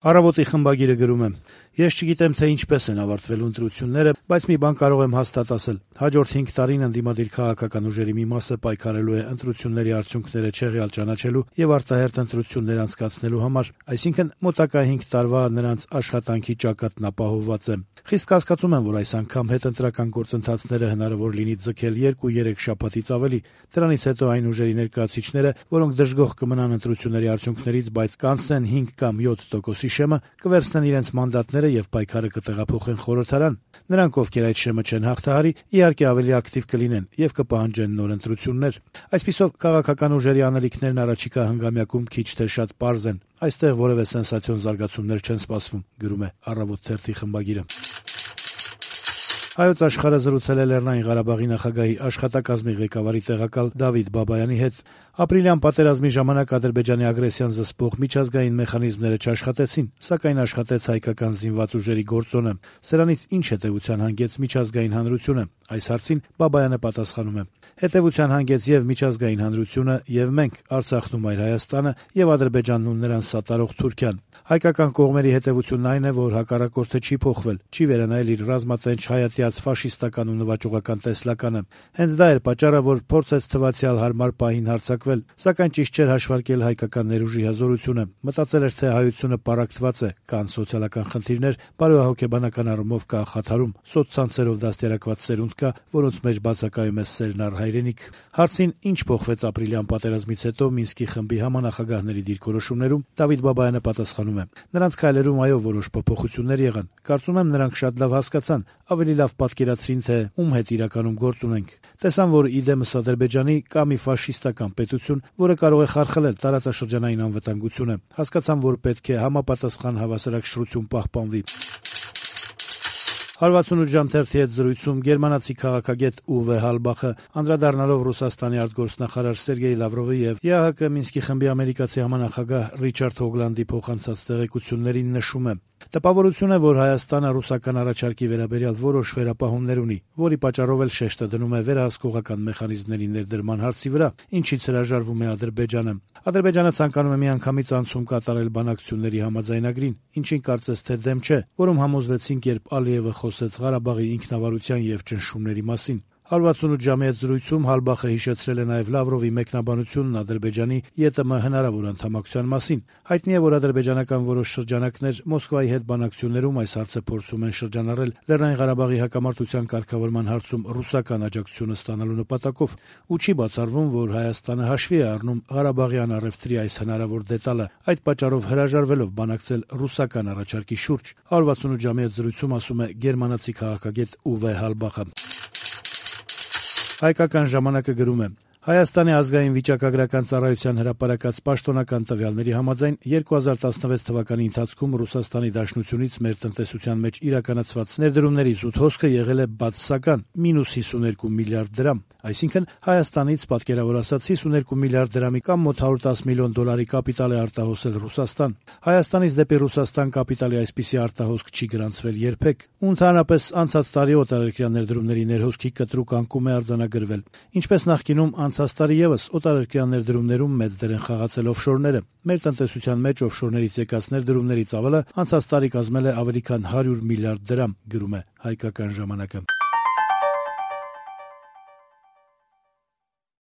Առավոտի խմբագիրը գրում է. «Ես չգիտեմ, թե ինչպես են ավարտվելու ընտրությունները, բայց մի բան կարող եմ հաստատ ասել. հաջորդ 5 տարին ընդդիմադիր քաղաքական ուժերի մի մասը պայքարելու է ընտրությունների արդյունքները չեղյալ ճանաչելու եւ արտահերթ ընտրություններ անցկացնելու համար, այսինքն մոտակա 5 տարվա նրանց աշխատանքի ճակատն ապահովված է։ Խիստ կասկածում եմ, որ այս անգամ հետընտրական գործընթացները հնարավոր լինի ձգել 2-3 շաբաթից ավելի։ Դրանից հետո այն ուժերի ներկայացուցիչները, որոնք դժգոհ կմնան ընտրությունների արդյունքներից, բայց կանցնեն 5 կամ 7% շեմը, կվերցնեն իրենց մանդատները եւ պայքարը կտեղափոխեն խորհրդարան։ Նրանք, ովքեր այդ շեմը չեն հաղթահարի, իհարկե ավելի ակտիվ կլինեն եւ կպահանջեն նոր ընտրություններ։ Այսպիսով քաղաքական ուժերի անելիքներն առաջիկա հանգամյակում քիչ թե շատ պարզ են։ Այստեղ որևէ սենսացիոն զարգացումներ չեն սպասվում», գրում է Առավոտ թերթի խմբագիրը։ Հայոց աշխարհը զրուցել է Լեռնային Ղարաբաղի նախագահի աշխատակազմի ղեկավարի տեղակալ Դավիթ Բաբայանի հետ։ Ապրիլյան պատերազմի ժամանակ Ադրբեջանի ագրեսիան զսպող միջազգային մեխանիզմները չաշխատեցին, սակայն աշխատեց հայկական զինված ուժերի գործոնը։ Սրանից ինչ հետևության հանգեց միջազգային հանրությունը։ Այս հարցին Բաբայանը պատասխանում է. «Հետևության հանգեց եւ միջազգային հանրությունը, եւ մենք, Արցախն ու Մայր Հայաստանը, եւ Ադրբեջանն ու նրան սատարող Թուրքիան։ Հայկական կողմերի հետևությունն այն է, որ հակառակորդը չի փոխվել, չի վերանայել իր ռազմատենչ հայատյաց ֆաշիստական ու նվաճողական տեսլականը։ Հենց դա էր պատճառը, որ փորձեց թվացյալ հարմար պահին հարձակվել, սակայն ճիշտ չէր հաշվարկել հայկական ներուժի հզորությունը։ Մտածել էր, թե հայությունը պառակտված է, կան սոցիալական խնդիրներ, բարոյահոգեբանական առումով կա խաթարում, սոցցանցերով դաստիարակված սերունդ կա, որոնց մեջ բացակայում է սերն առ հայրենիք»։ Հարցին ինչ փոխվեց ապրիլյան պատերազմից հետո Մինսկի խմբի համանախագահների դիրքորոշումներում, Դավիթ Բաբայանը պատասխանում է. «Նրանց քայլերում այո որոշ փոփոխություններ եղան։ Կարծում եմ նրանք շատ լավ հասկացան, ավելի լավ պատկերացրին, թե ում հետ իրականում գործ ունենք։ Տեսան, որ իդեմս Ադրբեջանի կա մի ֆաշիստական պետություն, որը կարող է խարխլել տարածաշրջանային անվտանգությունը։ Հասկացան, որ պետք է համապատասխան հավասարակշռություն պահպանվի»։ 168 ժամ թերթի հետ զրույցում գերմանացի քաղաքագետ Ուվե Հալբախը անդրադառնալով Ռուսաստանի արտգործնախարար Սերգեյ Լավրովի եւ ԵԱՀԿ Մինսկի խմբի ամերիկացի համանախագահ Ռիչարդ Հոգլանդի փոխանցած տեղեկություններին նշում է. «Տպավորություն է, որ Հայաստանը ռուսական առաջարկի վերաբերյալ որոշ վերապահումներ ունի, որի պատճառով էլ շեշտը դնում է վերահսկողական մեխանիզմների ներդրման հարցի վրա, ինչից հրաժարվում է Ադրբեջանը։ Ադրբեջանը ցանկանում է միանգամից անցում կատարել բանակցությունների համաձայնագրին, ինչին կարծես թե դեմ չէ, որում համոզվեցինք, երբ Ալիևը խոսեց Ղարաբաղի ինքնավարության եւ ճնշումների մասին»։ 168 ժամի հետ զրույցում Հալբախը հիշեցրել է նաև Լավրովի մեկնաբանությունն Ադրբեջանի ԵՏՄ հնարավոր անդամակցության մասին։ Հայտնի է, որ ադրբեջանական որոշ շրջանակներ Մոսկվայի հետ բանակցություններում այս հարցը փորձում են շրջանառել Լեռնային Ղարաբաղի հակամարտության կարգավորման հարցում ռուսական աջակցությունը ստանալու նպատակով, ու չի բացառվում, որ Հայաստանը հաշվի է առնում Ղարաբաղյան առևտրի այս հնարավոր դետալը, այդ պատճառով հրաժարվելով բանակցել ռուսական առաջարկի շուրջ։ 168 ժամի հետ զրույցում ասում է գերմանացի քաղաքագետ Ուվե Հալբախը։ Հայկական ժամանակը գրում է. Հայաստանի ազգային վիճակագրական ծառայության հրապարակած պաշտոնական տվյալների համաձայն 2016 թվականի ընթացքում Ռուսաստանի Դաշնությունից մեր տնտեսության մեջ իրականացված ներդրումների զուտ հոսքը եղել է բացասական -52 միլիարդ դրամ, այսինքն Հայաստանից պատկերավոր ասած 52 միլիարդ դրամի կամ մոտ 110 միլիոն դոլարի կապիտալ է արտահոսել Ռուսաստան։ Հայաստանից դեպի Ռուսաստան կապիտալի այսպիսի արտահոսք չի գրանցվել երբեք։ Ու ընդհանրապես անցած տարի օտարերկրյա ներդրումների ներհոսքի կտրուկ անկում է արձանագրվել։ Ինչպես նախկինում անցած տարի եւս օտարերկրյա ներդրումներում մեծ դեր են խաղացել օֆշորները։ Մեր տնտեսության մեջ օֆշորներից եկած ներդրումների ծավալը անցած տարի կազմել է ավելի քան 100 միլիարդ դրամ, գրում է Հայկական ժամանակը։